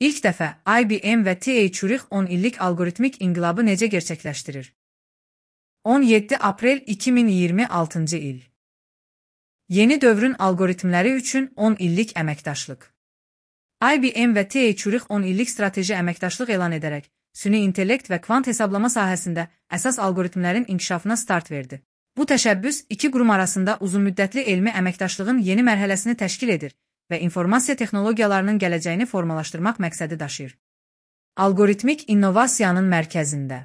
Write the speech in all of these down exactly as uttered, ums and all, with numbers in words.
İlk dəfə I B M və T H Zürich on illik algoritmik inqilabı necə gerçəkləşdirir? on yeddi aprel iki min iyirmi altıncı il. Yeni dövrün algoritmləri üçün on illik əməkdaşlıq. I B M və T H Zürich on illik strateji əməkdaşlıq elan edərək, süni intellekt və kvant hesablama sahəsində əsas algoritmlərin inkişafına start verdi. Bu təşəbbüs iki qurum arasında uzunmüddətli elmi əməkdaşlığın yeni mərhələsini təşkil edir və informasiya texnologiyalarının gələcəyini formalaşdırmaq məqsədi daşıyır. Algoritmik innovasiyanın mərkəzində.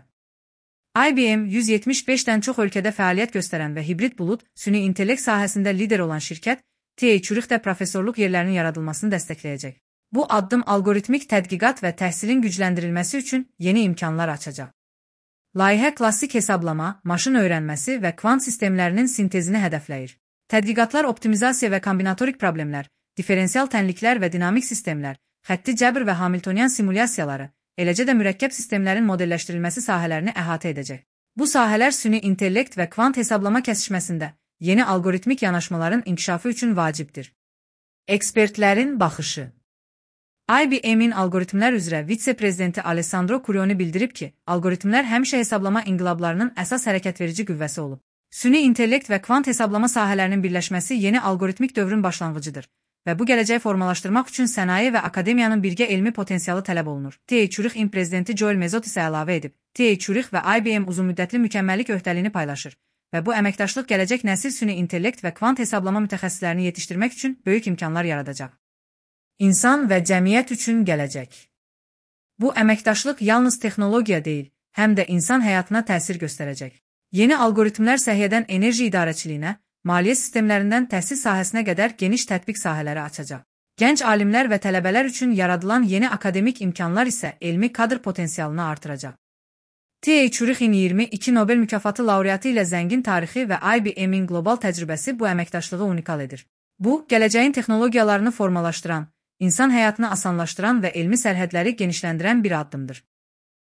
I B M yüz yetmiş beşdən çox ölkədə fəaliyyət göstərən və hibrid bulud, süni intellekt sahəsində lider olan şirkət, T H Zürich də professorluq yerlərinin yaradılmasını dəstəkləyəcək. Bu addım algoritmik tədqiqat və təhsilin gücləndirilməsi üçün yeni imkanlar açacaq. Layihə klassik hesablama, maşın öyrənməsi və kvant sistemlərinin sintezini hədəfləyir. Tədqiqatlar optimizasiya və kombinatorik problemlər, diferensial tənliklər və dinamik sistemlər, xətti cəbr və Hamiltonian simulyasiyaları, eləcə də mürəkkəb sistemlərin modelləşdirilməsi sahələrini əhatə edəcək. Bu sahələr süni intellekt və kvant hesablama kəsişməsində yeni algoritmik yanaşmaların inkişafı üçün vacibdir. Ekspertlərin baxışı. I B M-in algoritmlər üzrə vitse-prezidenti Alessandro Curioni bildirib ki, algoritmlər həmişə hesablama inqilablarının əsas hərəkətverici qüvvəsi olub. Süni intellekt və kvant hesablama sahələrinin birləşməsi yeni algoritmik dövrün başlanğıcıdır və bu gələcəyi formalaşdırmaq üçün sənaye və akademiyanın birgə elmi potensialı tələb olunur. T H Zürich prezidenti Joel Mezot isə əlavə edib, T H Zürich və I B M uzunmüddətli mükəmməllik öhdəliyini paylaşır və bu əməkdaşlıq gələcək nəsil süni intellekt və kvant hesablama mütəxəssislərini yetişdirmək üçün böyük imkanlar yaradacaq. İnsan və cəmiyyət üçün gələcək. Bu əməkdaşlıq yalnız texnologiya deyil, həm də insan həyatına təsir göstərəcək. Yeni algoritmlər səhiyyədən enerji idarəçiliyinə, maliyyə sistemlərindən təhsil sahəsinə qədər geniş tətbiq sahələri açacaq. Gənc alimlər və tələbələr üçün yaradılan yeni akademik imkanlar isə elmi kadr potensialını artıracaq. T H Zürich'in iyirmi iki Nobel mükafatı laureatı ilə zəngin tarixi və I B M-in qlobal təcrübəsi bu əməkdaşlığı unikal edir. Bu, gələcəyin texnologiyalarını formalaşdıran, insan həyatını asanlaşdıran və elmi sərhədləri genişləndirən bir addımdır.